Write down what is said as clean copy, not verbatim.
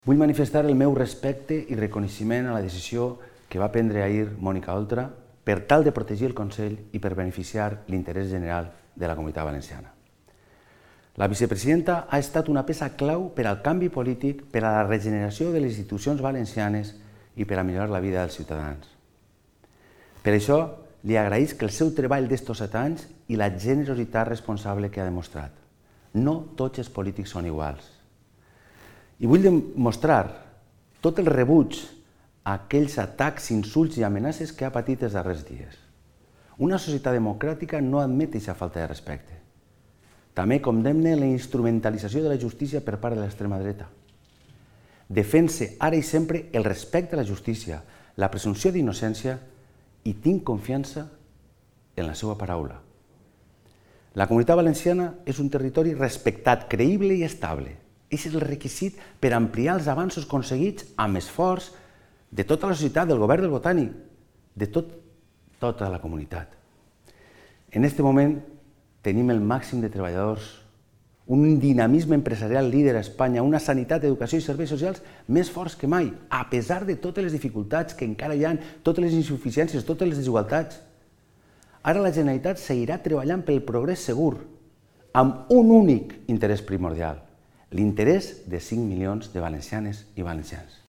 Vull manifestar el meu respecte i reconeixement a la decisió que va prendre ahir Mònica Oltra per tal de protegir el Consell i per beneficiar l'interès general de la Comunitat Valenciana. La vicepresidenta ha estat una peça clau per al canvi polític, per a la regeneració de les institucions valencianes i per a millorar la vida dels ciutadans. Per això, li agraïsc el seu treball d'estos 7 anys i la generositat responsable que ha demostrat. No tots els polítics són iguals. I vull demostrar tot el rebuig a aquells atacs, insults i amenaces que ha patit els darrers dies. Una societat democràtica no admet aquesta falta de respecte. També condemna la instrumentalització de la justícia per part de l'extrema dreta. Defense ara i sempre el respecte a la justícia, la presumpció d'innocència i tinc confiança en la seva paraula. La Comunitat Valenciana és un territori respectat, creïble i estable. És el requisit per ampliar els avanços aconseguits amb esforç de tota la societat, del govern del Botànic, de tota la comunitat. En aquest moment tenim el màxim de treballadors, un dinamisme empresarial líder a Espanya, una sanitat, educació i serveis socials més forts que mai, a pesar de totes les dificultats que encara hi ha, totes les insuficiències, totes les desigualtats. Ara la Generalitat seguirà treballant pel progrés segur, amb un únic interès primordial, l'interès de 5 milions de valencianes i valencians.